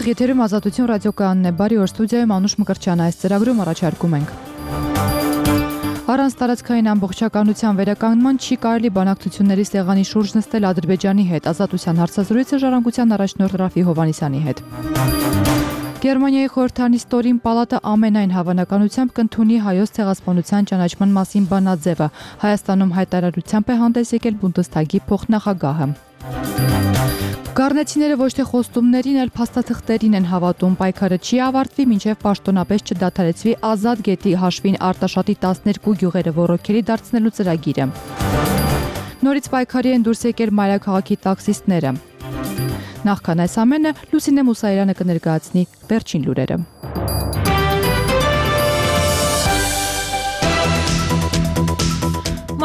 Ուղիղ եթերում Ազատություն ռադիոկայանն է, բարի օր, ստուդիայում Անուշ Մկրտչյան, այս ծրագրում առաջարկում ենք. Առանց տարածքային ամբողջականության վերականգնման չի կարելի բանակցությունների սեղանի շուրջ նստել Ադրբեջանի հետ, Ազատության հարցազրույցը ժառանգության առաջնորդ Ռաֆի Հովհաննիսյանի հետ։ Գերմանիայի խորհրդանիշ պալատը ամենայն հավանականությամբ կընդունի հայոց ցեղասպանության ճանաչման մասին բանաձևը։ Հայաստանում հայտարարությամբ է հանդես եկել Բունդեսթագի փոխնախագահը։ Գառնեցիները ոչ թե խոստումներին, այլ փաստաթղթերին են հավատում։ Պայքարը չի ավարտվի, մինչև պաշտոնապես չդադարեցվի Ազատ գետի հաշվին Արտաշատի 12 գյուղերը ոռոգելի դարձնելու ծրագիրը։ Նորից պայքարի են դուրս եկել մայրաքաղաքի տաքսիստները։ Նախքան այս ամենը Լուսինե Մուսայելյանը կներկայացնի վերջին լուրերը։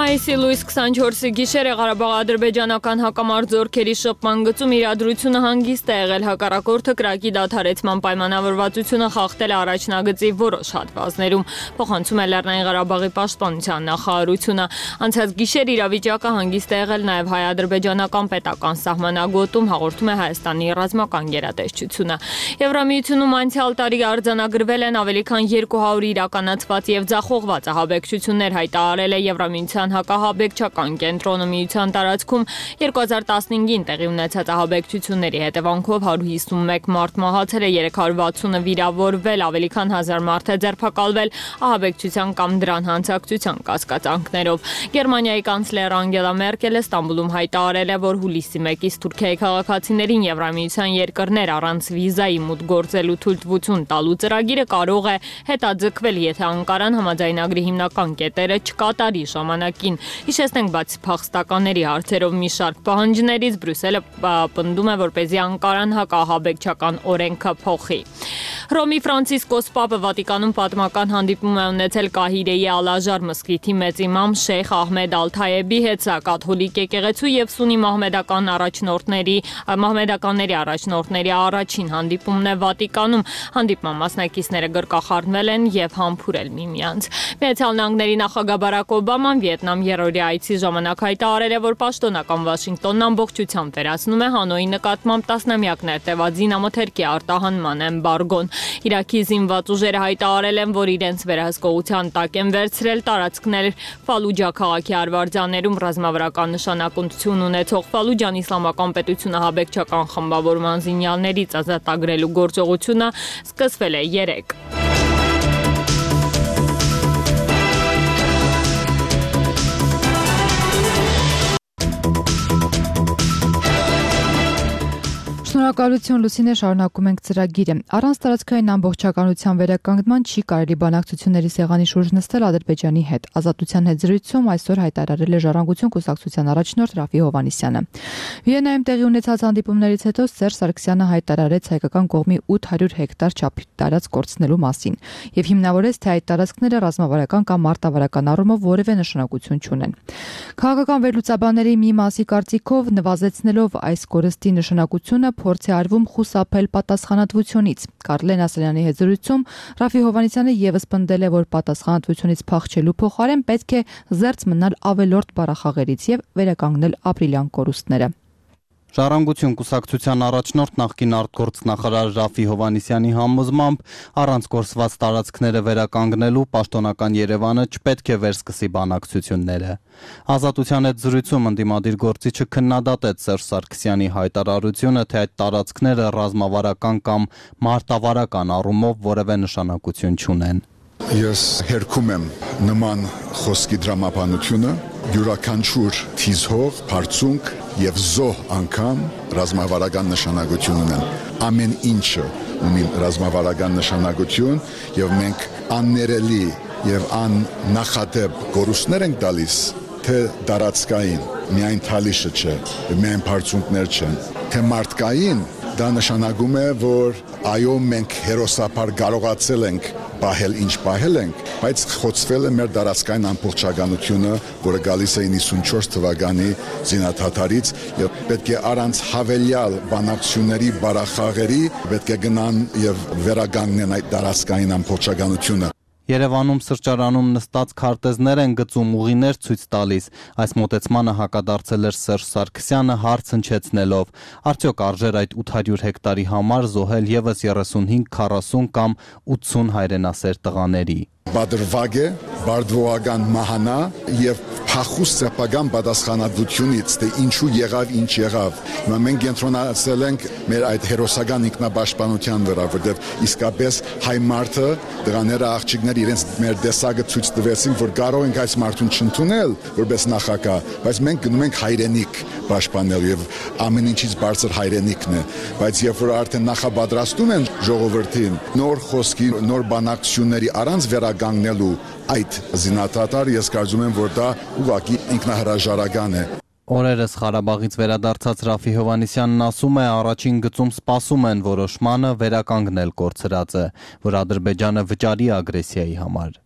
Մայիսի լույս 24-ի գիշերը Ղարաբաղ-ադրբեջանական հակամարտ զորքերի շփման գծում իրադրությունը հանգիստ է եղել, հակառակորդը կրակի դադարեցման պայմանավորվածությունը խախտել է առաջնագծի որոշ հատվածներում, փոխանցում է Լեռնային Ղարաբաղի պաշտպանության նախարարությունը։ Անցած գիշեր իրավիճակը հանգիստ է եղել նաև հայ-ադրբեջանական պետական սահմանագոտում, հաղորդում է Հայաստանի ռազմական գերատեսչությունը։ Եվրամիությունում անցյալ տարի արձանագրվել են ավելի քան 200 իրականացված եւ ձախողված ահաբեկչություններ, հայտարարել է Եվրամիության հակահաբեկչական կենտրոնը։ Միության տարածքում 2015-ին տեղի ունեցած ահաբեկչությունների հետևանքով 151 մարդ մահացել է, 360-ը վիրավորվել, ավելի քան 1000 մարդ է ձերբակալվել ահաբեկչության կամ դրան հանցակցության կասկածանքներով։ Գերմանիայի կանցլեր Անգելա Մերկելը Ստամբուլում հայտարարել է, որ հուլիսի 1-ից Թուրքիայի քաղաքացիներին Եվրամիության երկրներ առանց վիզայի մուտք գործելու թույլտվություն տալու ծրագիրը կարող է հետաձգվել, եթե Անկարան համաձայնագրի հիմնական կետերը չկատարի ժամանակին։ Հիշեցնենք, բացի փախստականների հարցերով մի շարք պահանջներից Բրյուսելը պնդում է, որպեսզի Անկարան հակահաբեկչական օրենքը փոխի։ Հռոմի Ֆրանցիսկոս Պապը Վատիկանում պատմական հանդիպում է ունեցել Կահիրեի Ալ-Աժար մզկիթի մեծ իմամ Շեյխ Ահմեդ Ալ-Թայեբի հետ, սա կաթոլիկ եկեղեցու եւ սուննի մահմեդականների առաջնորդների առաջին հանդիպումն է Վատիկանում։ Հանդիպման մասնակիցները գրկախառնվել են եւ համբուրել միմյանց։ Միացյալ Նահանգների նախագահ Բարակ Օբաման Վիետնամ երրորդի այցի ժամանակ հայտարարել է, որ պաշտոնական Վաշինգտոնն ամբողջությամբ վերացնում է Հանոյի նկատմամբ տասնամյակներ տևած զինամթերքի արտահանման էմբարգոն։ Իրաքի զինված ուժերը հայտարարել են, որ իրենց վերահսկողության տակ են վերցրել տարածքներ Ֆալուջա քաղաքի արվարձաններում ռազմավարական նշանակություն ունեցող Ֆալուջան իսլամական պետությունը ահաբեկչական խմբավորման զինյալներից ազատագրելու գործողությունը սկսվել է 3 Շնորհակալություն Լուսինե, շարունակում ենք ծրագիրը։ Առանց տարածքային ամբողջականության վերականգնման չի կարելի բանակցությունների սեղանի շուրջ նստել Ադրբեջանի հետ։ Ազատության հետ զրույցում այսօր հայտարարել է Ժառանգություն կուսակցության առաջնորդ Ռաֆի Հովհաննիսյանը։ Վիեննայում տեղի ունեցած հանդիպումներից հետո Սերժ Սարգսյանը հայտարարեց հայկական կողմի 800 հեկտար չափի տարածք կորցնելու մասին եւ հիմնավորեց, թե այդ տարածքները ռազմավարական կամ մարտավարական առումով որևէ նշանակություն չունեն։ Քաղաքական վերլուծաբանների մի մասի կարծիքով նվազեցնելով այս կորստի նշանակությունը փորձ է արվում խուսափել պատասխանատվությունից։ Կարլեն Ասլյանի հետ զրույցում Ռաֆի Հովհաննիսյանը եւս պնդել է, որ պատասխանատվությունից փախչելու փոխարեն պետք է զերծ մնալ ավելորդ բառախաղերից եւ վերականգնել ապրիլյան կորուստները։ Ժառանգություն կուսակցության առաջնորդ նախկին արտգործնախարար Ռաֆի Հովհաննիսյանի համոզմամբ առանց կորսված տարածքները վերականգնելու պաշտոնական Երևանը չպետք է վերսկսի բանակցությունները։ Ազատության հետ զրույցում ընդդիմադիր գործիչը քննադատեց Սերժ Սարգսյանի հայտարարությունը, թե այդ տարածքները ռազմավարական կամ մարտավարական առումով որևէ նշանակություն չունեն։ Ես հերքում եմ նման խոսքի դրամապանությունը, յուրաքանչյուր թիզհող, բարձունք եւ զոհ անգամ ռազմավարական նշանակություն ունեն։ Ամեն ինչը ունի ռազմավարական նշանակություն եւ մենք աններելի եւ աննախադեպ կորուստներ ենք տալիս, թե տարածքային, միայն թալիշը չէ, միայն բարձունքներ չեն, թե մարդկային, դա նշանակում է, որ այո, մենք հերոսապար կարողացել ենք պահել ինչ պահել ենք, բայց խոցվել է մեր տարածքային ամբողջականությունը, որը գալիս է 94 թվականի զինադադարից եւ պետք է առանց հավելյալ բանակցությունների բարախաղերի պետք է գնան եւ վերականգնեն այդ տարածքային ամբողջականությունը։ Երևանում սրճարանում նստած քարտեզներ են գծում, ուղիներ ցույց տալիս։ Այս մոտեցմանը հակադարձել էր Սերժ Սարգսյանը հարց հնչեցնելով. արդյոք արժեր այդ 800 հեկտարի համար զոհել եւս 35, 40 կամ 80 հայրենասեր տղաների։ Բադրվագ է, բարդվողական մահանա եւ փախուստ սեփական պատասխանատվությունից, թե ինչու եղավ, ինչ եղավ։ Հիմա մենք կենտրոնացել ենք մեր այդ հերոսական ինքնապաշտպանության վրա, որտեղ իսկապես հայ մարդը, դրաները աղջիկներ իրենց մեր տեսակը ցույց տվեցին, որ կարող ենք այս մարդուն չընդունել որպես նախագահ, բայց մենք գնում ենք հայրենիք պաշտպանելու եւ ամեն ինչից բարձր հայրենիքն է, բայց երբ որ արդեն նախապատրաստում են ժողովրդին նոր խոսքի, նոր բանակցությունների առանց վերականգնելու այդ զինադատարը, ես կարծում եմ, որ դա ուղղակի ինքնահրաժարական է։ Օրերս Ղարաբաղից վերադարձած Ռաֆի Հովհաննիսյանն ասում է, առաջին գծում սպասում են որոշմանը վերականգնել կորցրածը, որ Ադրբեջանը վճարի ագրեսիայի համար։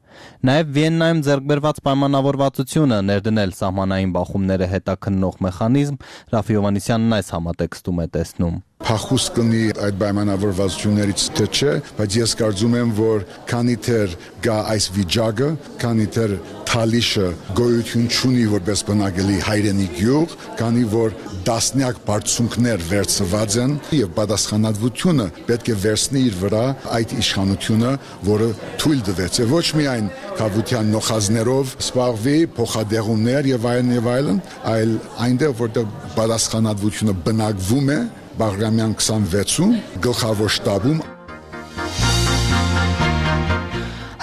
Նաև Վիեննայում ձեռք բերված պայմանավորվածությունը ներդնել սահմանային բախումները հետաքննող մեխանիզմ Ռաֆի Հովհաննիսյանն այս համատեքստում է տեսնում։ Փախուստ կնի այդ պայմանավորվածություններից թե չէ, բայց ես կարծում եմ, որ քանի դեռ գա այս վիճակը, քանի դեռ Թալիշը գոյություն չունի որպես բնակելի հայրենի գյուղ, քանի որ դասնյակ բարձունքներ վերցված են եւ պատասխանատվությունը պետք է վերցնի իր վրա այդ իշխանությունը, որը թույլ տվեց ոչ միայն քաղաքության նոխազներով սպառվի փոխադեղումներ եւ այլն, այլ այնտեղ որտեղ պատասխանատվությունը բնակվում է Բաղրամյան 26-ում գլխավոր շտաբում։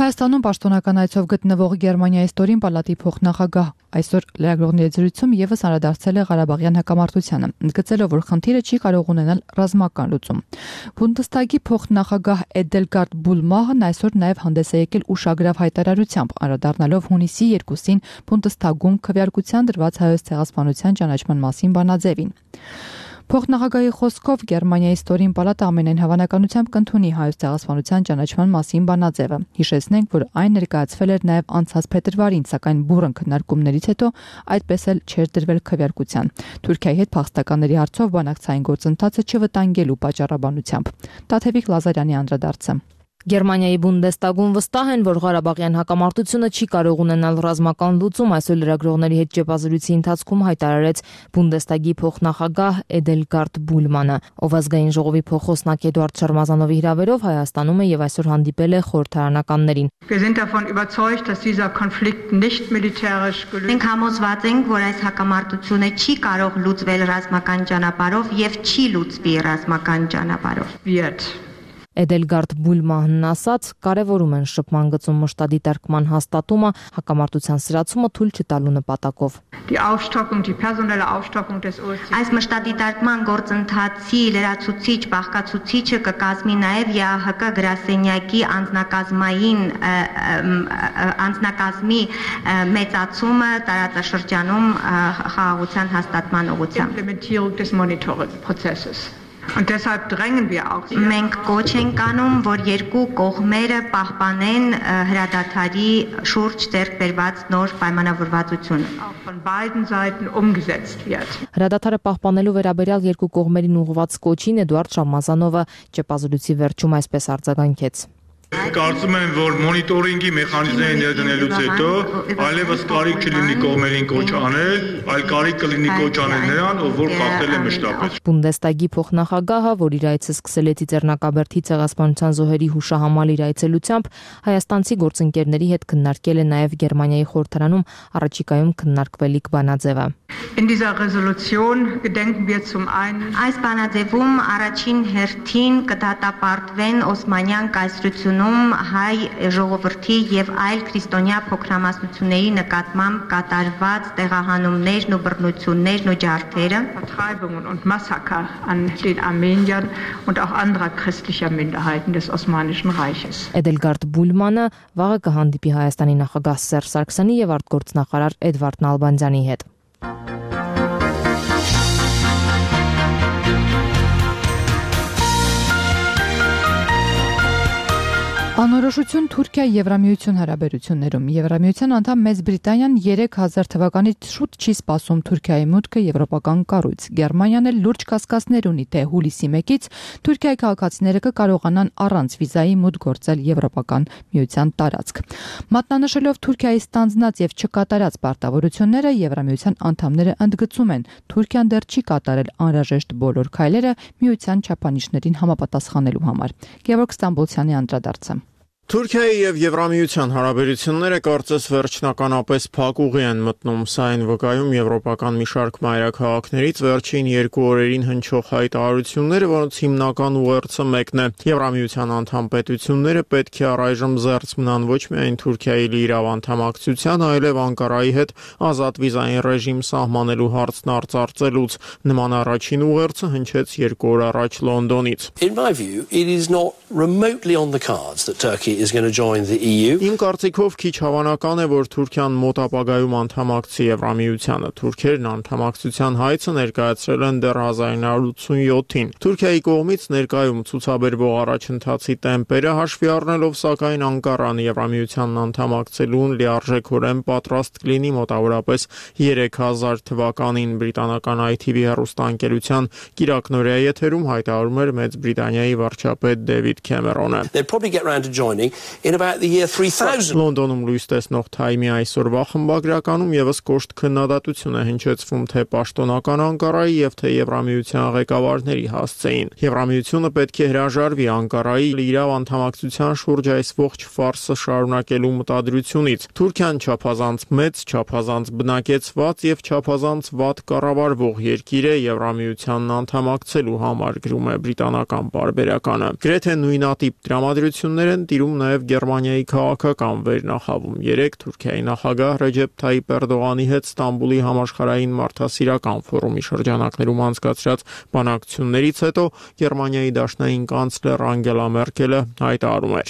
Հայաստանում պաշտոնական այցով գտնվող Գերմանիայի ստորին պալատի փոխնախագահ այսօր լրագրողների զրույցում եւս անդրադարձել է Ղարաբաղյան հակամարտությանը, ընդգծելով, որ խնդիրը չի կարող ունենալ ռազմական լուծում։ Բունդեսթագի փոխնախագահ Էդելգարդ Բուլմահն այսօր նաեւ հանդես է եկել ուշագրավ հայտարարությամբ, անդրադառնալով հունիսի 2-ին Բունդեսթագում քվեարկության դրված հայոց ցեղասպանության ճանաչման մասին բանաձևին։ Փոխնախագահի խոսքով Գերմանիայի ստորին պալատը ամենայն հավանականությամբ կընդունի հայոց ցեղասպանության ճանաչման մասին բանաձևը։ Հիշեցնենք, որ այն ներկայացվել էր նաև անցած փետրվարին, սակայն բուռն քննարկումներից հետո այդպես էլ չէր դրվել քվեարկության։ Թուրքիայի հետ փախստականների հարցով բանակցային գործընթացը չվտանգելու պատճառաբանությամբ։ Տաթևիկ Լազարյանի անդրադարձը։ Գերմանիայի Բունդեսթագում վստահ են, որ Ղարաբաղյան հակամարտությունը չի կարող ունենալ ռազմական լուծում, այսօր լրագրողների հետ ճեպազրույցի ընթացքում հայտարարեց Բունդեսթագի փոխնախագահ Էդելգարդ Բուլմանը, ով ազգային ժողովի փոխոսնակ Էդուարդ Շարմազանովի հրավերով Հայաստանում է եւ այսօր հանդիպել է խորհրդարանականներին։ Մենք համոզված ենք, որ այս հակամարտությունը չի կարող լուծվել ռազմական ճանապարհով եւ չի լուծվի ռազմական ճանապարհով։ Էդելգարդ Բուլմանն ասաց, կարևորում են շփման գծում մշտադիտարկման հաստատումը, հակամարտության սրացումը թույլ չտալու նպատակով։ Այս մշտադիտարկման գործընթացի լրացուցիչ բաղկացուցիչը կկազմի նաև ԵԱՀԿ գրասենյակի անձնակազմի մեծացումը տարածաշրջանում խաղաղության հաստատման ուղղությամբ։ Մենք կոչ ենք անում, որ երկու կողմերը պահպանեն հրադադարի շուրջ ձեռք բերված նոր պայմանավորվածությունը։ Հրադադարը պահպանելու վերաբերյալ երկու կողմերին ուղղված կոչին Էդուարդ Շարմազանովը ճեպազրույցի վերջում այսպես արձագանքեց։ Կարծում եմ, որ մոնիտորինգի մեխանիզմները ներդնելուց հետո այլևս կարիք չլինի կողմերին կոչ անել, այլ կարիք կլինի կոչ անել նրան, ով որ խախտել է մշտապես։ Բունդեսթագի փոխնախագահը, որ իր այցը սկսել է Ծիծեռնակաբերդի ցեղասպանության զոհերի հուշահամալ իր այցելությամբ, հայաստանցի գործընկերների հետ քննարկել է նաև Գերմանիայի խորհրդարանում առաջիկայում քննարկվելիք բանաձևը։ Այս բանաձևում առաջին հերթին կդատապարտվեն Օսմանյան կայսրությունում հայ ժողովրդի եւ այլ քրիստոնյա փոքրամասնությունների նկատմամբ կատարված տեղահանումներն ու բռնություններն ու ջարդերը, Էդելգարդ Բուլմանը վաղը կհանդիպի Հայաստանի նախագահ Սերժ Սարգսյանի եւ արտգործնախարար Էդվարդ Նալբանդյանի հետ։ Անոր Անորոշություն Թուրքիա-Եվրամիություն հարաբերություններում Եվրամիության անդամ Մեծ Բրիտանիան 3000 թվականից շուտ չի սպասում Թուրքիայի մուտքը եվրոպական կառույց։ Գերմանիան էլ լուրջ կասկածներ ունի, թե հուլիսի 1-ից Թուրքիայի քաղաքացիները կկարողանան առանց վիզայի մուտք գործել Եվրոպական միության տարածք։ Մատնանշելով Թուրքիայի ստանձնած եւ չկատարած պարտավորությունները, Եվրամիության անդամները ընդգծում են, Թուրքիան դեռ չի կատարել անհրաժեշտ բոլոր քայլերը միության չափանիշներին համապատասխանելու համար։ Գևորգ Ստամբոլցյանի անդրադարձը։ Թուրքիայի եւ Եվրամիության հարաբերությունները կարծես վերջնականապես փակուղի են մտնում, սա այն վկայում եվրոպական մի շարք մայրաքաղաքներից վերջին 2 օրերին հնչող հայտարարությունները, որոնց հիմնական ուղերձը մեկն է։ Եվրամիության անդամ պետությունները պետք է առայժմ զերծ մնան ոչ միայն Թուրքիայի լիիրավ անդամակցության, այլև Անկարայի հետ ազատ վիզային ռեժիմ սահմանելու հարցն արծարծելուց։ Նման առաջին ուղերձը հնչեց 2 օր առաջ Լոնդոնից։ In my view, it is not remotely on the cards that Turkey is going to join the EU. Իմ կարծիքով քիչ հավանական է, որ Թուրքիան մոտ ապագայում անդամակցի Եվրամիությանը։ Թուրքերն անդամակցության հայցը ներկայացրել են դեռ 1987-ին։ Թուրքիայի կողմից ներկայում ցուցաբերվող առաջընթացի տեմպերը հաշվի առնելով, սակայն Անկարան Եվրամիությանն անդամակցելուն լիարժեքորեն պատրաստ կլինի մոտավորապես 3000 թվականին բրիտանական ITV հեռուստաընկերության կիրակնօրյա եթերում հայտարարում էր Մեծ Բրիտանիայի վարչապետ Դեվիդ Քեմերոնը։ They'll probably get round to joining in about the year 3000. Լոնդոնում լույս տեսնող Թայմի այսօրվա խմբագրականում եւս կոշտ քննադատություն է հնչեցվում թե պաշտոնական Անկարայի եւ թե Եվրամիության ղեկավարների հասցեին։ Եվրամիությունը պետք է հրաժարվի Անկարայի լիիրավ անդամակցության շուրջ այս ողջ ֆարսը շարունակելու մտադրությունից։ Թուրքիան չափազանց մեծ, չափազանց բնակեցված եւ չափազանց վատ կառավարվող երկիր է Եվրամիությանն անդամակցելու համար, գրում է բրիտանական պարբերականը։ Գրեթե նույնատիպ տրամադրություններ են տիրում նաև Գերմանիայի քաղաքական վերնախավում։ Երեկ Թուրքիայի նախագահ Ռեջեփ Թայիփ Էրդողանի հետ Ստամբուլի համաշխարհային մարդասիրական ֆորումի շրջանակներում անցկացրած բանակցություններից հետո Գերմանիայի դաշնային կանցլեր Անգելա Մերկելը հայտարարում էր.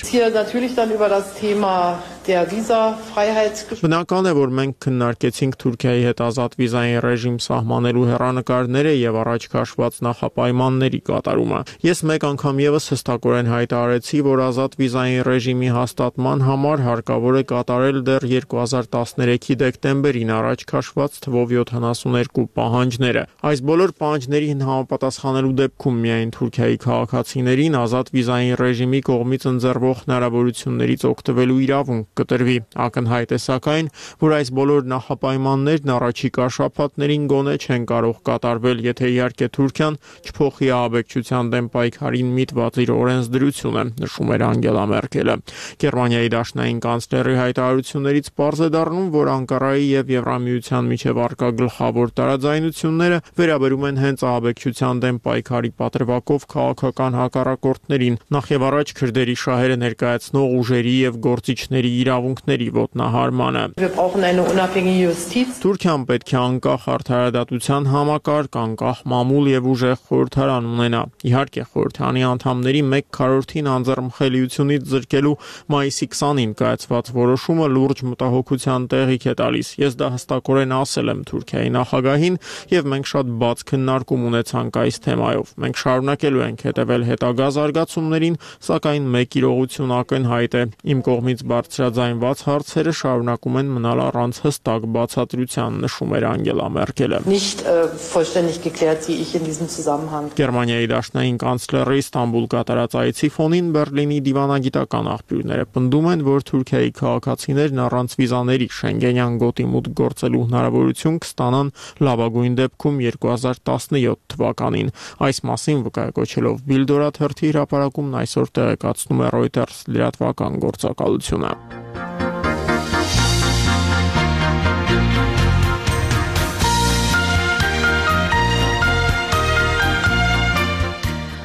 Բնական է, որ մենք քննարկեցինք Թուրքիայի հետ ազատ վիզային ռեժիմ սահմանելու հեռանկարները եւ առաջ քաշված նախապայմանների կատարումը։ Ես մեկ անգամ եւս հստակորեն հայտարարեցի, որ ազատ վիզային ռեժիմի հաստատման համար հարկավոր է կատարել դեռ 2013-ի դեկտեմբերին առաջ քաշված թվով 72 պահանջները։ Այս բոլոր պահանջներին համապատասխանելու դեպքում միայն Թուրքիայի քաղաքացիներին ազատ վիզային ռեժիմի կողմից ընձեռվող հնարավորություններից օգտվելու իրավունք կտրվի։ Ակնհայտ է սակայն, որ այս բոլոր նախապայմաններն առաջիկա շաբաթներին գոնե չեն կարող կատարվել, եթե իհարկե Թուրքիան չփոխի ահաբեկչության դեմ պայքարին միտված իր օրենսդրությունը, նշում էր Անգելա Մերկելը։ Գերմանիայի դաշնային կանցլերի հայտարարություններից պարզ է դառնում, որ Անկարայի եւ Եվրամիության միջև առկա գլխավոր տարաձայնությունները վերաբերում են հենց ահաբեկչության դեմ պայքարի պատրվակով քաղաքական հակառակորդներին, նախ եւ առաջ քրդերի շահերը ներկայացնող ուժերի եւ գործիչների իրավունքների ոտնահարմանը։ Թուրքիան պետք է անկախ արդարադատության համակարգ, անկախ մամուլ եւ ուժեղ խորհրդարան ունենա։ Իհարկե, խորհրդարանի անդամների 1/4-ին անձեռնխելիությունից զրկելու մայիսի 20-ին կայացված որոշումը լուրջ մտահոգության տեղիք է տալիս։ Ես դա հստակորեն ասել եմ Թուրքիայի նախագահին եւ մենք շատ բաց քննարկում ունեցանք այս թեմայով։ Մենք շարունակելու ենք հետևել հետագա զարգացումներին, սակայն մեկ իրողություն ակնհայտ է։ Իմ կողմից բարձրաձայնված հարցերը շարունակում են մնալ առանց հստակ բացատրության, նշում էր Անգելա Մերկելը։ Գերմանիայի դաշնային կանցլերի Ստամբուլ կատարած այցի ֆոնին Բերլինի դիվանագիտական աղբյուրները պնդում են, որ Թուրքիայի քաղաքացիներն առանց վիզաների Շենգենյան գոտի մուտք գործելու հնարավորություն կստանան լավագույն դեպքում 2017 թվականին։ Այս մասին վկայակոչելով Բիլդորա թերթի հրապարակումն այսօր տեղեկացնում է Reuters լրատվական գործակալությունը։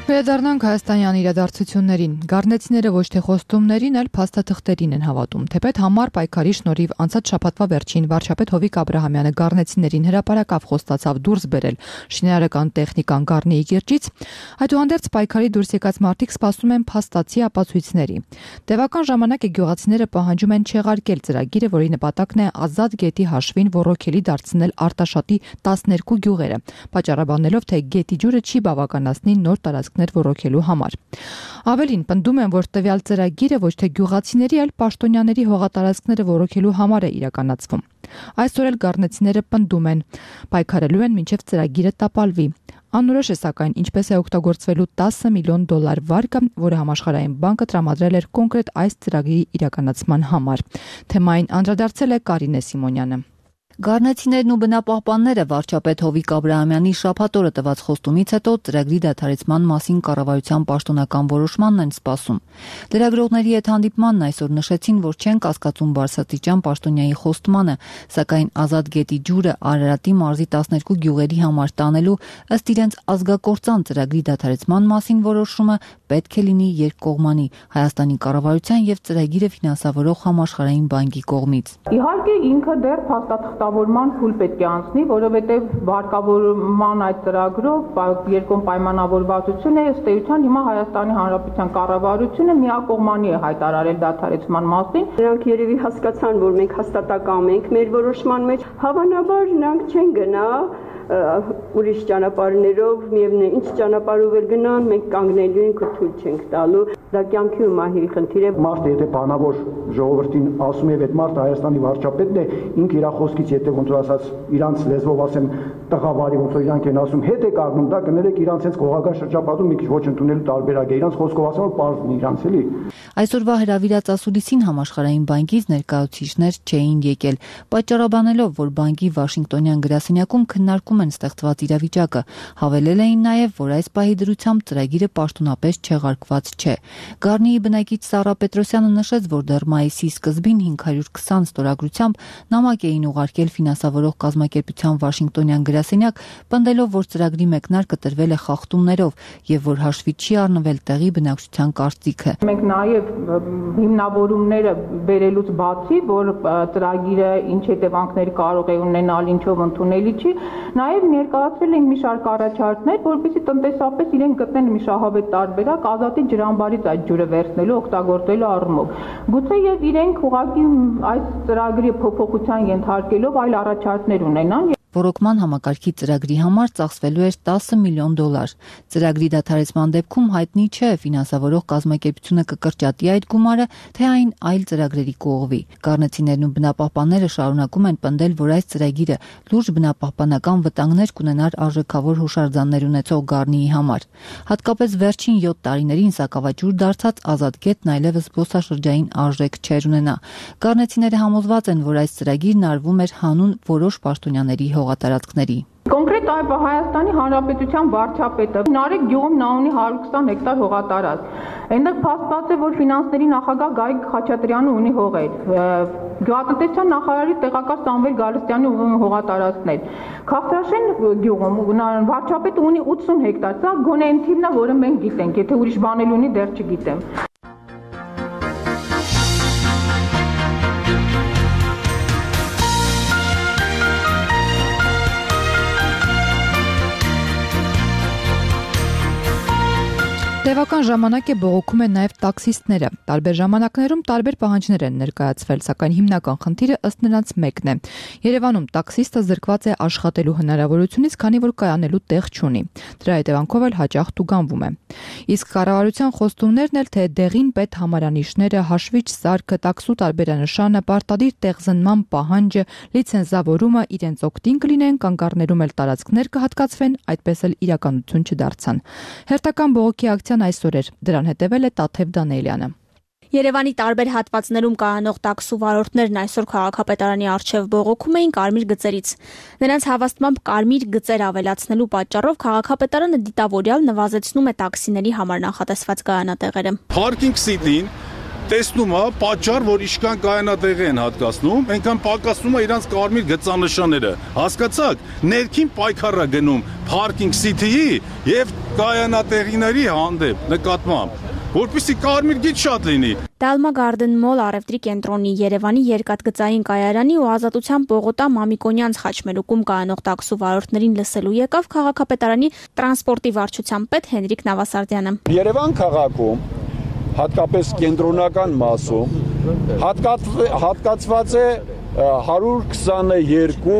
Վերադառնանք Հայաստանյան իրադարձություններին։ Գառնեցիները ոչ թե խոստումներին, այլ փաստաթղթերին են հավատում։ Թեպետ համառ պայքարի շնորհիվ անցած շաբաթվա վերջին վարչապետ Հովիկ Աբրահամյանը գառնեցիներին հրապարակավ խոստացավ դուրս բերել շինարարական տեխնիկան Գառնիի կիրճից, այդուհանդերձ պայքարի դուրս եկած մարդիկ սպասում են փաստացի ապացույցների։ Տևական ժամանակ է գյուղացիները պահանջում են չեղարկել ծրագիրը, որի նպատակն է Ազատ գետի հաշվին ռոռոքելի դարձնել Արտաշատի 12 գյուղերը, պատճառաբանելով, թե գետի ջուրը չի բավականացնի նոր տարածքների տարածքներ ոռոգելու համար։ Ավելին, պնդում են, որ տվյալ ծրագիրը ոչ թե գյուղացիների, այլ պաշտոնյաների հողատարածքները ոռոգելու համար է իրականացվում։ Այսօր էլ գառնեցիները պնդում են, պայքարելու են մինչև ծրագիրը տապալվի։ Անորոշ է սակայն ինչպես է օգտագործվելու $10 միլիոն վարկը, որը համաշխարհային բանկը տրամադրել էր կոնկրետ այս ծրագրի իրականացման համար։ Թեմային անդրադարձել է Կարինե Սիմոնյանը։ Գառնեցիներն ու բնապահպանները վարչապետ Հովիկ Աբրահամյանի շաբաթ օրը տված խոստումից հետո ծրագրի դադարեցման մասին կառավարության պաշտոնական որոշմանն են սպասում։ Լրագրողների հետ հանդիպմանն այսօր նշեցին, որ չեն կասկածում Բարսաստիճան պաշտոնյայի խոստմանը, սակայն Ազատ գետի ջուրը Արարատի մարզի 12 գյուղերի համար տանելու ըստ իրենց ազգակործան ծրագրի դադարեցման մասին որոշումը պետք է լինի երկկողմանի Հայաստանի կառավարության եւ ծրագիրը ֆինանսավորող Համաշխարհային բանկի կողմից։ Իհարկե ինքը դեռ փաստաթղթավորման փուլ պետք է անցնի, որովհետև վարկավորման այդ ծրագրով երկկողմ պայմանավորվածություն է ըստ էության հիմա Հայաստանի Հանրապետության կառավարությունը միակողմանի է հայտարարել դադարեցման մասին։ Նրանք երևի հասկացան, որ մենք հաստատակամ ենք մեր որոշման մեջ, հավանաբար նրանք չեն գնա ուրիշ ճանապարհներով, միևնույն ինչ ճանապարհով էլ գնան, մենք կանգնելու ենք ու թույլ չենք տալու։ Դա կյանքի ու մահերի խնդիր է։ Մարդը եթե բանավոր ժողովրդին ասում է, այդ մարդը Հայաստանի վարչապետն է, ինքը իր խոսքից եթե ոնց որ ասած իրանց լեզվով ասեմ տղավարի ոնց որ իրանք են ասում, հետ է կառնում, դա կներեք իրանց հենց կողական շրջապատում մի քիչ ոչ ընդունելու տարբերակ է։ Իրանց խոսքով ասում որ պարզն է իրանց էլի։ Այսօրվա հրավիրած ասուլիսին Համաշխարհային բանկից ներկայացուցիչներ չէին եկել, պատճառաբանելով, որ բանկի Վաշինգտոնյան գրասենյակում քննարկում են ստեղծված իրավիճակը, հավելել էին նաև, որ այս պահի դրությամբ ծրագիրը պաշտոնապես չեղարկված չէ։ Գառնիի բնակիչ Սառա Պետրոսյանը նշեց, որ դեռ մայիսի սկզբին 520 ստորագրությամբ նամակ էին ուղարկել ֆինանսավորող կազմակերպության Վաշինգտոնյան գրասենյակ, պնդելով, որ ծրագրի մեկնարկը տրվել է խախտումներով եւ որ հաշվի չի առնվել տեղի բնակչության կարծիքը։ Մենք նաև հիմնավորումները բերելուց բացի, որ ծրագիրը ինչ հետևանքներ կարող է ունենալ, ինչով ընդունելի չի, նաև ներկայացրել ենք մի շարք առաջարկներ, որպեսզի տնտեսապես իրենք գտնեն մի շահավետ տարբերակ Ազատի ջրամբարից այդ ջուրը վերցնելու, օգտագործելու առումով։ Գուցե եւ իրենք ուղղակի այս ծրագրի փոփոխության ենթարկելով այլ առաջարկներ ունենան։ Ռոռոկման համակարգի ծրագրի համար ծախսվելու էր $10 միլիոն։ Ծրագրի դադարեցման դեպքում հայտնի չէ ֆինանսավորող կազմակերպությունը կկրճատի այդ գումարը, թե այն այլ ծրագրերի կողմի։ Գառնեցիներն ու բնապահպանները շարունակում են պնդել, որ այս ծրագիրը լուրջ բնապահպանական վտանգներ կունենար արժեքավոր հուշարձաններ ունեցող Գառնիի համար։ Հատկապես վերջին 7 տարիներին սակավաճուր դարձած Ազատ գետն այլևս զբոսաշրջային արժեք չեր ունենա։ Գառնեցիները համոզված են, որ այս ծրագիրն արվում էր հանուն որոշ պաշտոնյաների հողատարածքների։ Կոնկրետ Հայաստանի Հանրապետության վարչապետը Նարեկ գյուղում նա ունի 120 հեկտար հողատարածք։ Այնտեղ փաստված է, որ ֆինանսների նախագահ Գայիկ Խաչատրյանը ունի հողեր։ Գյուղատնտեսության նախարարի տեղակալ Սամվել Գալստյանի հողատարածքներ։ Քաղցրաշեն գյուղում վարչապետը ունի 80 հեկտար։ Սա գոնե այն թիվն է, որը մենք գիտենք, եթե ուրիշ բան էլ ունի, դեռ չգիտեմ։ Տևական ժամանակ է բողոքում են նաև տաքսիստները։ Տարբեր ժամանակներում տարբեր պահանջներ են ներկայացվել, սակայն հիմնական խնդիրը ըստ նրանց մեկն է։ Երևանում տաքսիստը զրկված է աշխատելու հնարավորությունից, քանի որ կայանելու տեղ չունի։ Դրա հետևանքով էլ հաճախ տուգանվում է։ Իսկ կառավարության խոստումներն էլ, թե դեղին պետ համարանիշները, հաշվիչ սարքը, տաքսու տարբերանշանը, պարտադիր տեղզնման պահանջը, լիցենզավորումը իրենց օգտին կլինեն, կանգառներում էլ տարածքներ կհատկացվեն, այդպես էլ իրականություն չդարձան։ Հերթական բողոքի ակցիան այսօր էր, դրան հետևել է Տաթև Դանիելյանը։ Երևանի տարբեր հատվածներում կայանող տաքսու վարորդներն այսօր քաղաքապետարանի առջև բողոքում էին կարմիր գծերից։ Նրանց հավաստմամբ կարմիր գծեր ավելացնելու պատճառով քաղաքապետարանը դիտավորյալ նվազեցնում է տաքսիների համար նախատեսված կայանատեղերը։ Parking City-ին տեսնում է պատճառ, որ իշքան կայանատեղ են հատկացնում, այնքան պակասում է իրանց կարմիր գծանշանները։ Հասկացաք, ներքին պայքարը գնում Parking City-ի եւ կայանատեղիների հանդեպ նկատմամբ, որպեսզի կարմիր գիծ շատ լինի։ Dalma Garden Mall առևտրի կենտրոնի, Երևանի երկաթգծային կայարանի ու Ազատության Պողոտա Մամիկոնյանց խաչմերուկում կայանող տաքսու վարորդներին լսելու եկավ քաղաքապետարանի տրանսպորտի վարչության պետ Հենրիկ Նավասարդյանը։ Երևան քաղաքում, հատկապես կենտրոնական մասում, հատկացված է 122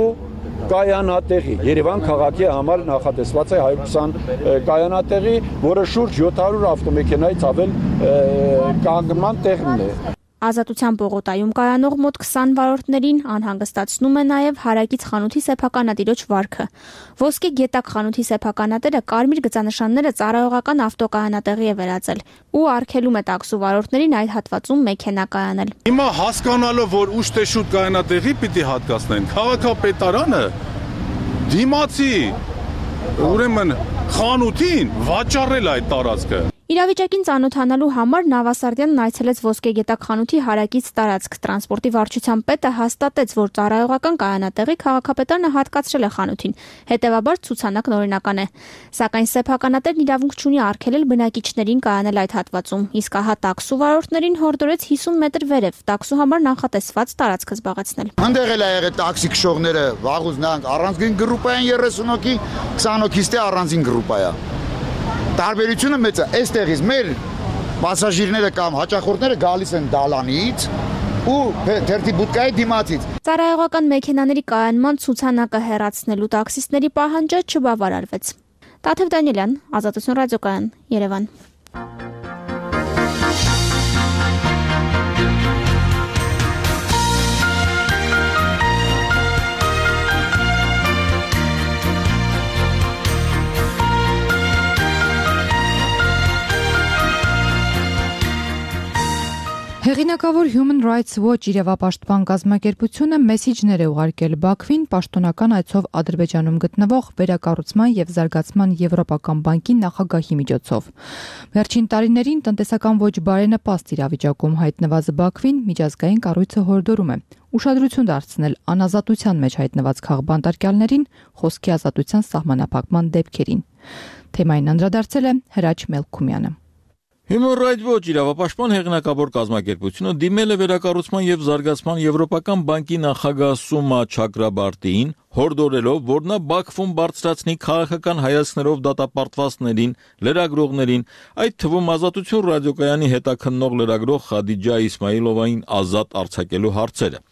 կայանատեղի Երևան քաղաքի համար նախատեսված է 120 կայանատեղի, որը շուրջ 700 ավտոմեքենայից ավել կանգնման տեղն է։ Ազատության պողոտայում կայանող մոտ 20 վարորդներին անհանգստացնում է նաև հարակից խանութի սեփականատիրոջ վարքը։ Ոսկե գետակ խանութի սեփականատերը կարմիր գծանշանները ծառայողական ավտոկայանատեղի է վերածել ու արգելում է տաքսու վարորդներին այդ հատվածում մեքենա կայանել։ Հիմա հասկանալով, որ ուշ թե շուտ կայանատեղի պիտի հատկացնեն, քաղաքապետարանը դիմացի ուրեմն խանութին վաճառել այդ տարածքը։ Իրավիճակին ծանոթանալու համար Նավասարդյանն այցելեց Ոսկե գետակ խանութի հարակից տարածք։ Տրանսպորտի վարչության պետը հաստատեց, որ ծառայողական կայանատեղի քաղաքապետարանը հատկացրել է խանութին, հետևաբար ցուցանակն օրինական է։ Սակայն սեփականատերն իրավունք չունի արգելել բնակիչներին կայանել այդ հատվածում, իսկ ահա տաքսու վարորդներին հորդորեց 50 մետր վերև տաքսու համար նախատեսված տարածքը զբաղեցնել։ Այնտեղ էլ ա եղել տաքսի քշողները, վաղուց նրանք առանձին գրուպային 30 հոգի, 20 հոգիստի առանձին գրուպայա։ Տարբերությունը մեծ է, այստեղից մեր պասաժիրները կամ հաճախորդները գալիս են դալանից ու թերթի բուտկայի դիմացից։ Ծառայողական մեքենաների կայանման ցուցանակը հեռացնելու տաքսիստների պահանջը չբավարարվեց։ Տաթև Դանիելյան, Ազատություն ռադիոկայան, Երևան։ Հեղինակավոր Human Rights Watch իրավապաշտպան կազմակերպությունը մեսիջներ է ուղարկել Բաքվին պաշտոնական այցով Ադրբեջանում գտնվող վերակառուցման եւ զարգացման Եվրոպական բանկի նախագահի միջոցով։ Վերջին տարիներին տնտեսական ոչ բարենպաստ իրավիճակում հայտնված Բաքվին միջազգային կառույցը հորդորում է ուշադրություն դարձնել անազատության մեջ հայտնված քաղբանտարկյալներին, խոսքի ազատության սահմանափակման դեպքերին։ Թեմային անդրադարձել է Հրաչ Մելքումյանը։ Human Rights Watch իրավապաշտպան հեղինակավոր կազմակերպությունը դիմել է վերակառուցման եւ զարգացման Եվրոպական բանկի նախագահ Սումա Չակրաբարտիին, հորդորելով, որ նա Բաքվում բարձրացնի քաղաքական հայացքներով դատապարտվածներին, լրագրողներին, այդ թվում Ազատություն ռադիոկայանի հետաքննող լրագրող Խադիջա Իսմայիլովային ազատ արձակելու հարցերը։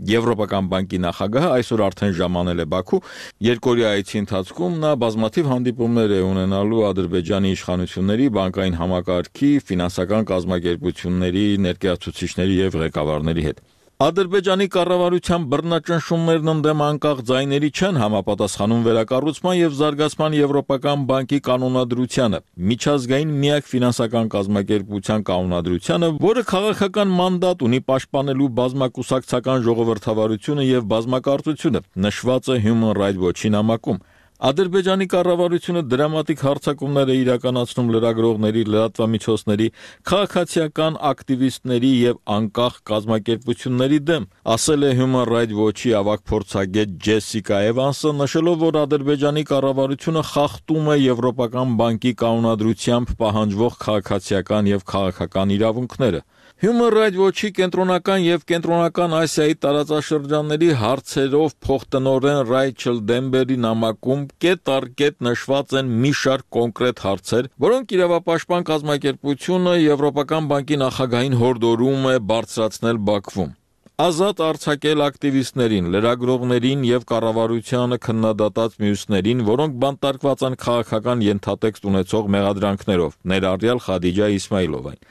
Եվրոպական բանկի նախագահը այսօր արդեն ժամանել է Բաքու, երկօրյա այցի ընթացքում նա բազմաթիվ հանդիպումներ է ունենալու Ադրբեջանի իշխանությունների, բանկային համակարգի, ֆինանսական կազմակերպությունների, ներկայացուցիչների եւ ղեկավարների հետ։ Ադրբեջանի կառավարության բռնաճնշումներն ընդդեմ անկախ ձայների չեն համապատասխանում վերակառուցման եւ զարգացման Եվրոպական բանկի կանոնադրությանը, միջազգային միակ ֆինանսական կազմակերպության կանոնադրությանը, որը քաղաքական մանդատ ունի պաշտպանելու բազմակուսակցական ժողովրդավարությունը եւ բազմակարծությունը, նշված է Human Rights Watch-ի նամակում։ Ադրբեջանի կառավարությունը դրամատիկ հարձակումներ է իրականացնում լրագրողների, լրատվամիջոցների, քաղաքացիական ակտիվիստների եւ անկախ կազմակերպությունների դեմ, ասել է Human Rights Watch-ի ավագ փորձագետ Ջեսիկա Էվանսը, նշելով, որ Ադրբեջանի կառավարությունը խախտում է Եվրոպական բանկի կանոնադրությամբ պահանջվող քաղաքացիական եւ քաղաքական իրավունքները։ Human Rights Watch-ի կենտրոնական եւ կենտրոնական Ասիայի տարածաշրջանների հարցերով փոխտնօրեն Ռայչել Դեմբերի նամակում կետ առ կետ նշված են մի շարք կոնկրետ հարցեր, որոնք իրավապաշտպան կազմակերպությունը Եվրոպական բանկի նախագահին հորդորում է բարձրացնել Բաքվում։ Ազատ արձակել ակտիվիստներին, լրագրողներին եւ կառավարությանը քննադատած մյուսներին, որոնք բանտարկված են քաղաքական ենթատեքստ ունեցող մեղադրանքներով, ներառյալ Խադիջա Իսմայիլովային։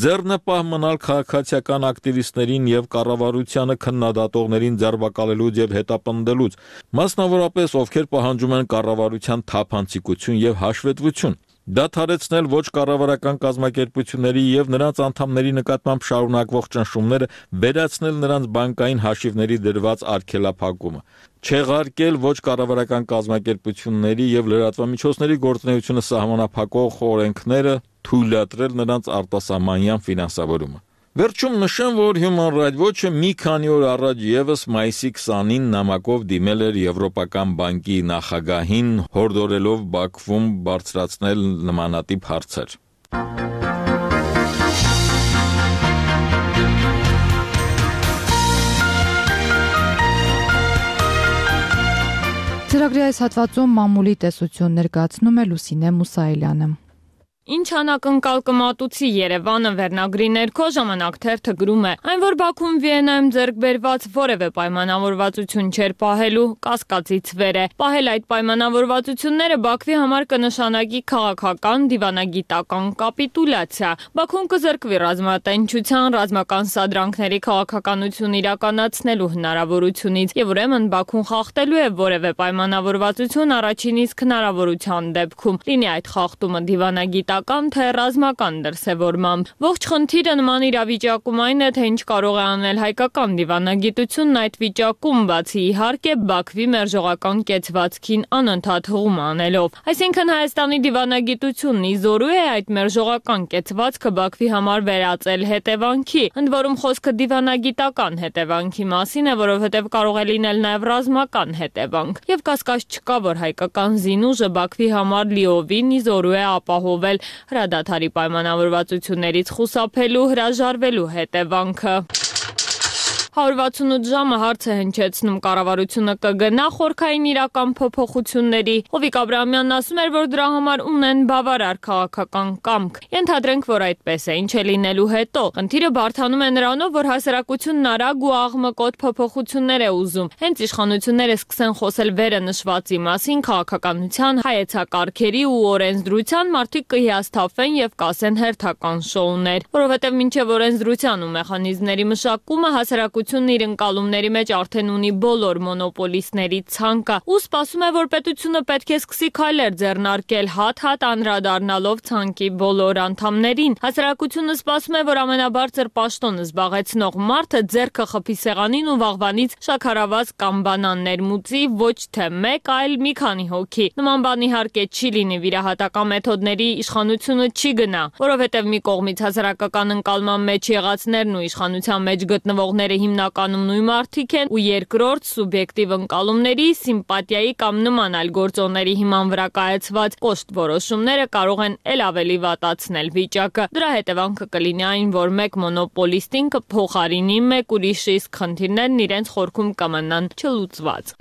Ձեռնպահ մնալ քաղաքացիական ակտիվիստներին եւ կառավարությանը քննադատողներին ձերբակալելուց եւ հետապնդելուց, մասնավորապես ովքեր պահանջում են կառավարության թափանցիկություն եւ հաշվետվություն։ Դադարեցնել ոչ կառավարական կազմակերպությունների եւ նրանց անդամների նկատմամբ շարունակվող ճնշումները, վերացնել նրանց բանկային հաշիվների դրված արգելափակումը, չեղարկել ոչ կառավարական կազմակերպությունների եւ լրատվամիջոցների գործունեությունը սահմանափակող օրենքները, թույլատրել նրանց արտասահմանյան ֆինանսավորումը։ Վերջում նշեմ, որ Human Rights Watch-ը մի քանի օր առաջ եւս մայիսի 20-ին նամակով դիմել էր Եվրոպական բանկի նախագահին, հորդորելով Բաքվում բարձրացնել նմանատիպ հարցեր։ Ծրագրի այս հատվածում մամուլի տեսություն ներկայացնում է Լուսինե Մուսայելյանը։ Ինչ անակնկալ կմատուցի Երևանը վերնագրի ներքո ժամանակ թերթը գրում է. այն, որ Բաքուն Վիեննայում ձեռք բերված որևէ պայմանավորվածություն չէր պահելու, կասկածից վեր է։ Պահել այդ պայմանավորվածությունները Բաքվի համար կնշանակի քաղաքական, դիվանագիտական կապիտուլյացիա։ Բաքուն կզրկվի ռազմատենչության, ռազմական սադրանքների քաղաքականություն իրականացնելու հնարավորությունից, եւ ուրեմն Բաքուն խախտելու է որևէ պայմանավորվածություն առաջին իսկ հնարավորության դեպքում։ Լինի այդ խախտումը դիվանագիտական թե ռազմական դրսևորմամբ։ Ողջ խնդիրը նման իրավիճակում այն է, թե ինչ կարող է անել հայկական դիվանագիտությունն այդ վիճակում, բացի իհարկե Բաքվի մերժողական կեցվածքին անընդհատ հղում անելով։ Այսինքն Հայաստանի դիվանագիտությունն իզորու է այդ մերժողական կեցվածքը Բաքվի համար վերածել հետևանքի, ընդ որում խոսքը դիվանագիտական հետևանքի մասին է, որովհետև կարող է լինել նաև ռազմական հետևանք։ Եվ կասկած չկա, որ հայկական զինուժը Բաքվի համար լիովին իզորու է ապահովել հրադադարի պայմանավորվածություններից խուսափելու, հրաժարվելու հետևանքը։ 168 ժամը հարց է հնչեցնում կառավարությունը կգնա խորքային իրական փոփոխությունների։ Հովիկ Աբրահամյանն ասում էր, որ դրա համար ունեն բավարար քաղաքական կամք։ Ենթադրենք, որ այդպես է, ինչ է լինելու հետո։ Խնդիրը բարդանում է նրանով, որ հասարակությունն արագ ու աղմկոտ փոփոխություններ է ուզում։ Հենց իշխանությունները սկսեն խոսել վերը նշվածի մասին, քաղաքականության, հայեցակարգերի ու օրենսդրության, մարդիկ կհիասթափվեն եւ կասեն հերթական շոուներ, որովհետեւ մինչեւ օրենսդրության ու մեխանիզմների մշակումը հասարակությունն իր ընկալումների մեջ արդեն ունի բոլոր մոնոպոլիստների ցանկը ու սպասում է, որ պետությունը պետք է սկսի քայլեր ձեռնարկել հատ-հատ անդրադառնալով ցանկի բոլոր անդամներին։ Հասարակությունը սպասում է, որ ամենաբարձր պաշտոնը զբաղեցնող մարդը ձեռքը խփի սեղանին ու վաղվանից շաքարավազ կամ բանան ներմուծի ոչ թե մեկ, այլ մի քանի հոգի։ Նման բան իհարկե չի լինի, վիրահատական մեթոդների իշխանությունը չի գնա, որովհետև մի կողմից հասարակական ընկալման մեջ եղածներն ու իշխանության մեջ գտնվողները հիմնականում նույն մարդիկ են ու երկրորդ սուբյեկտիվ ընկալումների, սիմպաթիայի կամ նման այլ գործոնների հիման վրա կայացված կոշտ որոշումները կարող են ել ավելի վատացնել վիճակը։ Դրա հետևանքը կլինի այն, որ մեկ մոնոպոլիստին կփոխարինի մեկ ուրիշը, իսկ խնդիրներն իրենց խորքում կմնան չլուծված։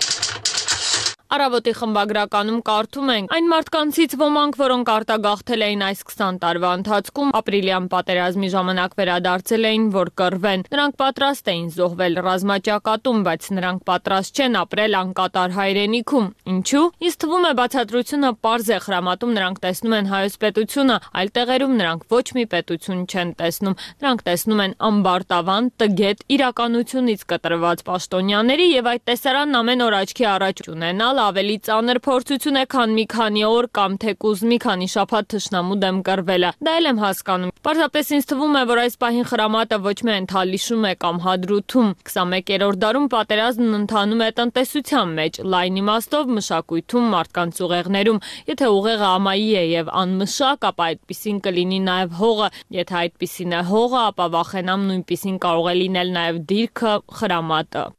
Առավոտի խմբագրականում կարդում ենք. այն մարդկանցից ոմանք, որոնք արտագաղթել էին այս 20 տարվա ընթացքում, ապրիլյան պատերազմի ժամանակ վերադարձել էին, որ կռվեն։ Նրանք պատրաստ էին զոհվել ռազմաճակատում, բայց նրանք պատրաստ չեն ապրել անկատար հայրենիքում։ Ինչու՞։ Ինձ թվում է բացատրությունը պարզ է, Խրամատում նրանք տեսնում են հայոց պետությունը, այլ տեղերում նրանք ոչ մի պետություն չեն տեսնում։ Նրանք տեսնում են ամբարտավան, տգետ, իրականությունից կտրված պաշտոնյաների եւ այդ տեսարանն ամեն օր աչքի առաջ ունենալ ավելի ծանր փորձություն է, քան մի քանի օր կամ թեկուզ մի քանի շաբաթ թշնամու դեմ կռվելը։ Դա էլ եմ հասկանում։ Պարզապես ինձ թվում է, որ այս պահին Խրամատը ոչ միայն թալիշում է կամ հադրութում։ 21-րդ դարում պատերազմն ընթանում է տնտեսության մեջ, լայն իմաստով մշակույթում, մարդկանց ուղեղներում։ Եթե ուղեղը ամայի է եւ անմշակ, ապա այդպիսին կլինի նաեւ հողը։ Եթե այդպիսին է հողը, ապա վախենամ նույնպիսին կարող է լինել նաեւ դիրքը, Խրամատը։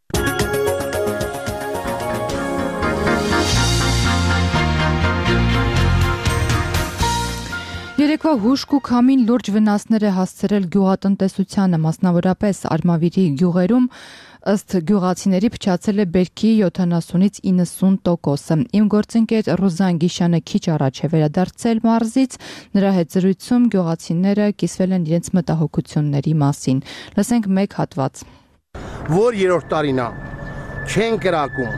Երեկվա հուշք ու քամին լուրջ վնասներ է հասցրել գյուղատնտեսությանը, մասնավորապես Արմավիրի գյուղերում, ըստ գյուղացիների փչացել է բերքի 70-ից 90%-ը։ Իմ գործընկեր Ռուզան Գիշյանը քիչ առաջ է վերադարձել մարզից, նրա հետ զրույցում գյուղացիները կիսվել են իրենց մտահոգությունների մասին։ Լսենք մեկ հատված։ Որ երրորդ տարին է, չեն կրակում,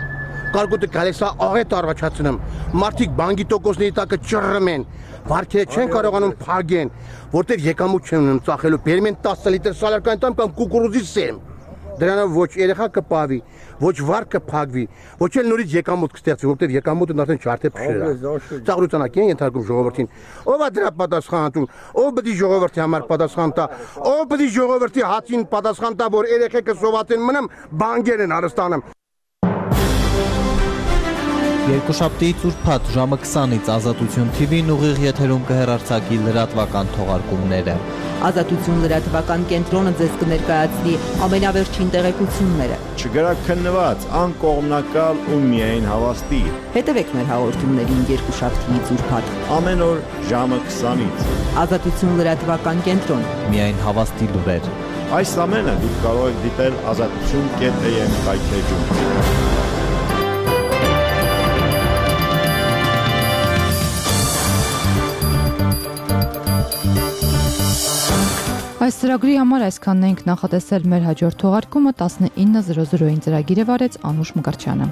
կարկուտը գալիս է աղետ առաջացնում, մարդիկ բանկի տոկոսների տակը ճռռում են, վարկերը չեն կարողանում փակեն, որտեղ եկամուտ չեն ունենում ծախելու, բերում են 10 լիտր սալարկան տամ կամ կուկուրուզի սեմ։ Դրանով ոչ երեխա կպավի, ոչ վարկ կփակվի, ոչ էլ նորից եկամուտ կստեղծվի, որտեղ եկամուտը արդեն չարթե փշել է։ Ծաղրութանակի են ենթարկում ժողովրդին։ Ո՞վ է դրա պատասխանատուն, ով պետք է ժողովրդի համար պատասխան տա, ով պետք է ժողովրդի հացին պատասխան տա, որ երեխեքը սովածեն մնամ, բանկեր են հարստանում։ Երկուշաբթիից ուրբաթ ժամը 20-ից Ազատություն TV-ն ուղիղ եթերում կհեռարձակի լրատվական թողարկումները։ Ազատություն լրատվական կենտրոնը ձեզ կներկայացնի ամենավերջին տեղեկությունները։ Չգրաքննված, անկողմնակալ ու միայն հավաստի։ Հետևեք մեր հաղորդումներին երկուշաբթիից ուրբաթ ամեն օր ժամը 20-ից։ Ազատություն լրատվական կենտրոն։ Միայն հավաստի լուրեր։ Այս ամենը դուք կարող եք դիտել azatutun.am կայքեջում։ Այս ծրագրի համար այսքանն ենք նախատեսել մեր հաջորդ թողարկումը 19:00-ին ծրագիրը վարեց Անուշ Մկրտչյանը։